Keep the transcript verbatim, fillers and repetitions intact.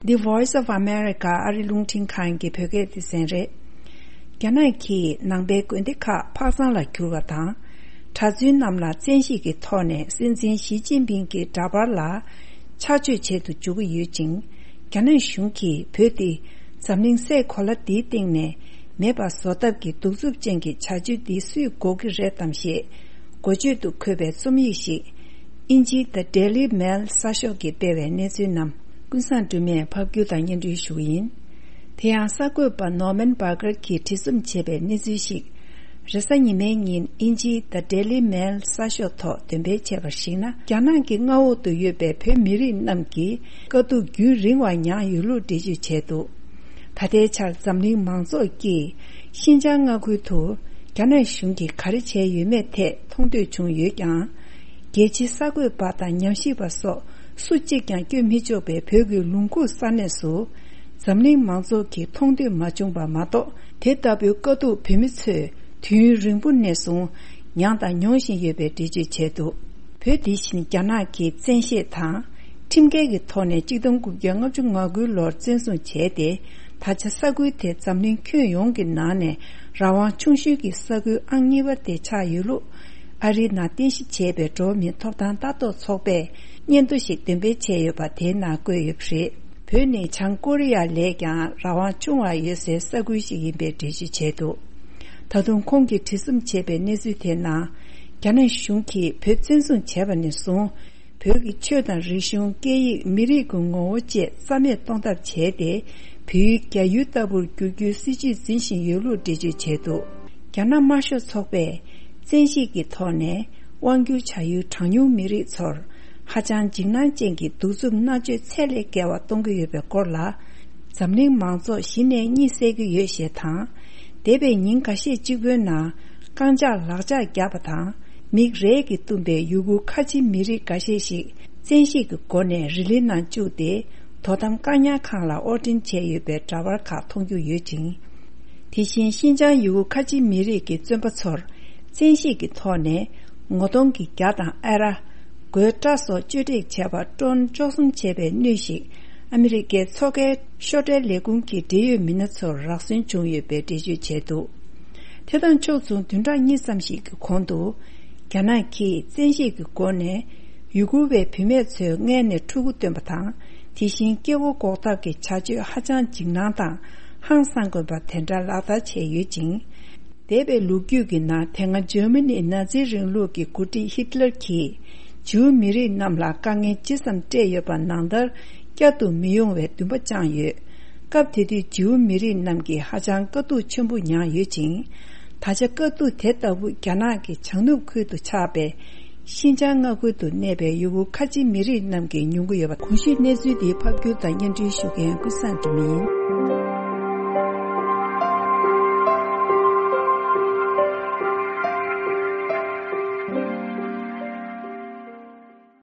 The Voice of America ཨ་རི་རླུང་འཕྲིན་ཁང་གི་བོད་སྐད་སྡེ་ཚན་རེད། རྒྱ་ནག་གིས་ནང་པའི་དགོན་སྡེ་ཁག་ཕག་ཚང་ལ་བསྒྱུར་བ་དང་། གྲྭ་བཙུན་རྣམས་ལ་བཙན་ཤེད་ཀྱི་ཐོག་ནས་སྲིད་འཛིན་ཞི་ཅིན་ཕིང་གི་འདྲ་པར་ལ་ཆགས་སྤྱོད་བྱེད་དུ་འཇུག་གི་ཡོད་ཅིང་། རྒྱ་ནག་གཞུང་གིས་བོད་འདི་འཛམ་གླིང་སའི་གོ་ལ་འདིའི་སྟེང་ནས་མེད་པ་བཟོ་ཐབས་ཀྱི་གདུག་རྩུབ་ཅན་གྱི་བྱ་སྤྱོད་འདི་སུས་འགོག་གི་རེད་དམ་ཞེས་འགོ་བརྗོད་དུ་འཁོད་པའི་རྩོམ་ཡིག་ཞིག་ཨིན་ཇིའི་The Daily Mail གསར་ཤོག་གིས་སྤེལ་བའི་གནས་ཚུལ་རྣམས་ཀུན་བཟང་སྒྲོལ་མས་ཕབ་སྒྱུར་དང་སྙན་སྒྲོན་ཞུ་གི་ཡིན། དེ་ཡང་གསར་འགོད་པ་ནོར་མན་བྷར་གྷར་གྱིས་བྲིས་རྩོམ་བྱས་པའི་གནས་ཚུལ་ཞིག་རེས་གཟའ་ཉི་མའི་ཉིན་ཨིན་ཇིའི་The Daily Mail གསར་ཤོག་ཐོག་འདོན་སྤེལ་བྱས་པར་གཞིགས་ན། རྒྱ་ནག་གི་མངའ་འོག་ཏུ་ཡོད་པའི་བོད་མི་རིགས་རྣམས་ཀྱིས་དཀའ་སྡུག་རྒྱུན་རིང་བ་མྱངས་ཡོད་ལུགས་འགྲེལ་བརྗོད་བྱས་འདུག་ད་ལྟའི་ཆར་འཛམ་གླིང་མང་ཚོགས་ཀྱིས་ཤིན་ཅང་མངའ་ཁུལ་དུ་རྒྱ་ནག་གཞུང་གིས་ག་རེ་བྱས་ཡོད་མེད་ཐད་མཐོང་ཐོས་བྱུང་ཡོད་ཀྱང་། རྒྱལ་སྤྱིའི་གསར་འགོད་པ་དང་ཉམས་ཞིབ་པ་སོགས་སུ་གཅིག་ཀྱང་བསྐྱོད་མི་ཆོག་པའི་བོད་ཀྱི་ལུང་ཁུག་ས་གནས་སུ་འཛམ་གླིང་མང་ཚོགས་ཀྱིས་མཐོང་ཐོས་མ་བྱུང་པ་མ་གཏོགས། དེ་ལྟ་བུའི་དཀའ་སྡུག་བོད་མི་ཚོས་དུས་ཡུན་རིང་པོ་ནས་བཟུང་མྱངས་དང་མྱོང་བཞིན་ཡོད་པའི་འགྲེལ་བརྗོད་བྱས་འདུག་བོད་དེ་བཞིན་རྒྱ་ནག་གིས་བཙན་ཤེད་དང་ཁྲིམས་འགལ་གྱི་ཐོག་ནས་ཆིག་སྟོང་དགུ་བརྒྱ་ལྔ་བཅུ་ང་དགུ་ལོར་བཙན་བཟུང་བྱས་ཏེ། ད་ཆ་ས་ཁུལ་དེ་འཛམ་གླིང་ཁྱོན་ཡོངས་ཀྱི་ནང་ནས་རང་དབང་ཆུང་ཤོས་ཀྱི་ས་ཁུལ་ཨང་གཉིས་པ་དེ་ཆགས་ཡོད་ལུགས། ཨ་རིའི་ནང་རྟེན་གཞི་བྱས་པའི་འགྲོ་བ་མིའི་ཐོབ་ཐང་ལྟ་རྟོག་ཚོགས་པས་སྙན་ཐོ་ཞིག་འདོན་སྤེལ་བྱས་ཡོད་པ་དེའི་ནང་བཀོད་ཡོད་པ་རེད། བོད་ནི་བྱང་ཀོ་རི་ཡ་ལས་ཀྱང་རང་དབང་ཆུང་བ་ཡོད་སའི་ས་ཁུལ་ཞིག་ཡིན་པའི་འགྲེལ་བརྗོད་བྱས་འདུག་ད་དུང་ཁོང་གིས་བྲིས་རྩོམ་བྱས་པའི་གནས་ཚུལ་དེའི་ནང་། རྒྱ་ནག་གཞུང་གིས་བོད་བཙན་བཟུང་བྱས་པ་ནས་བཟུང་། བོད་ཀྱི་ཆོས་དང་རིག་གཞུང་། སྐད་ཡིག་མི་རིགས་ཀྱི་ངོ་བོ་བཅས་རྩ་མེད་གཏོང་ཐབས་བྱས་ཏེ། བོད་ཡུལ་རྒྱ་ཡུལ་ལྟ་བུར་བསྒྱུར་རྒྱུའི་སྲིད་བྱུས་འཛིན་བཞིན་ཡོད་ལུགས་འགྲེལ་བརྗོད་བྱས་འདུག་རྒྱ་ནག་དམར་ཤོག་ཚོགས་པས་བཙན་ཤེད་ཀྱི་ཐོག་ནས་དབང་སྒྱུར་བྱ་ཡུལ་གྲངས་ཉུང་མི་རིགས་ཚོར་ཧ་ཅང་འཇིགས་སྣང་ཅན་གྱི་གདུག་རྩུབ་མནར་གཅོད་ཚད་ལས་བརྒལ་བ་གཏོང་གི་ཡོད་པའི་སྐོར་ལ། འཛམ་གླིང་མང་ཚོགས་གཞི་ནས་གཉིད་སད་ཀྱི་ཡོད་ཞེས་དང་། འདས་པའི་ཉིན་འགའ་ཤས་གཅིག་པུའི་ནང་རྐང་ལྕགས་ལག་ལྕགས་བརྒྱབ་པ་དང་། མིག་རས་ཀྱིས་བཏུམས་པའི་ཡུ་གུར་ཁ་ཆེ་མི་རིགས་འགའ་ཤས་ཤིག་བཙན་ཤེད་ཀྱི་སྒོ་ནས་རི་ལི་ནང་བཅུག་སྟེ། དོ་དམ་བཀག་ཉར་ཁང་ལ་དབོར་འདྲེན་བྱས་ཡོད་པའི་འདྲ་པར་ཁག་མཐོང་རྒྱུ་ཡོད་ཅིང་། དེ་བཞིན་ཤིན་ཅང་ཡུ་གུར་ཁ་ཆེ་མི་རིགས་ཀྱི་བཙོན་པ་ཚོར་བཙན་ཤེད་ཀྱི་ཐོག་ནས་ངོ་གདོང་གི་རྒྱ་དང་ཨ་ར། མགོའི་སྐྲ་སོགས་གཅོད་འབྲེག་བྱས་པར་ཀྲོན་བཅུ་གསུམ་བྱས་པའི་སྣོད་ཞིག་ཨ་མི་རི་ཀའི་མཚོ་ཁའི་ཤོག་ཁྲའི་ལས་ཁུངས་ཀྱི་འབྲེལ་ཡོད་མི་སྣ་ཚོར་རག་སོན་བྱུང་ཡོད་པའི་འགྲེལ་བརྗོད་བྱས་འདུག་དེ་དང་ཕྱོགས་མཚུངས་བདུན་ཕྲག་གཉིས་ཙམ་ཞིག་གི་གོང་དུ། རྒྱ་ནག་གིས་བཙན་ཤེད་ཀྱི་སྒོ་ནས་ཡུ་གུར་བའི་བུད་མེད་ཚོའི་མངལ་ནས་ཕྲུ་གུ་བཏོན་པ་དང་། དེ་བཞིན་སྐྱེ་སྒོ་འགོག་ཐབས་ཀྱི་བྱ་སྤྱོད་ཧ་ཅང་འཇིགས་སྣང་དང་ཧང་སང་དགོས་པ་དེ་འདྲ་ལག་བསྟར་བྱས་ཡོད་ཅིང་། འདས་པའི་ལོ་རྒྱུས་ཀྱི་ནང་དེ་སྔ་འཇར་མ་ནིའི་ནཱ་ཛི་རིང་ལུགས་ཀྱི་འགོ་ཁྲིད་ཧི་ཏི་ལར་གྱིས་ཇིའུ་མི་རིགས་རྣམས་ལ་དཀའ་ངལ་ཇི་ཙམ་སྤྲད་ཡོད་པ་ནང་ལྟར་བསྐྱར་དུ་མི་ཡོང་བའི་འདུན་པ་བཅངས་ཡོད། སྐབས་དེ་དུས་ཇིའུ་མི་རིགས་རྣམས་ཀྱིས་ཧ་ཅང་དཀའ་སྡུག་ཆེན་པོ་མྱངས་ཡོད་ཅིང་། ད་ཆ་དཀའ་སྡུག་དེ་ལྟ་བུ་རྒྱ་ནག་གི་བྱང་ནུབ་ཁུལ་དུ་ཆགས་པའི་ཤིན་ཅང་མངའ་ཁུལ་དུ་གནས་པའི་ཡུ་གུར་ཁ་ཆེ་མི་རིགས་རྣམས་ཀྱིས་མྱོང་གི་ཡོད་པ། གོང་ཞུས་གནས་ཚུལ་འདི་ཕབ་སྒྱུར་དང་སྙན་སྒྲོན་ཞུ་མཁན་ཀུན་བཟང་སྒྲོལ་མ་ཡིན།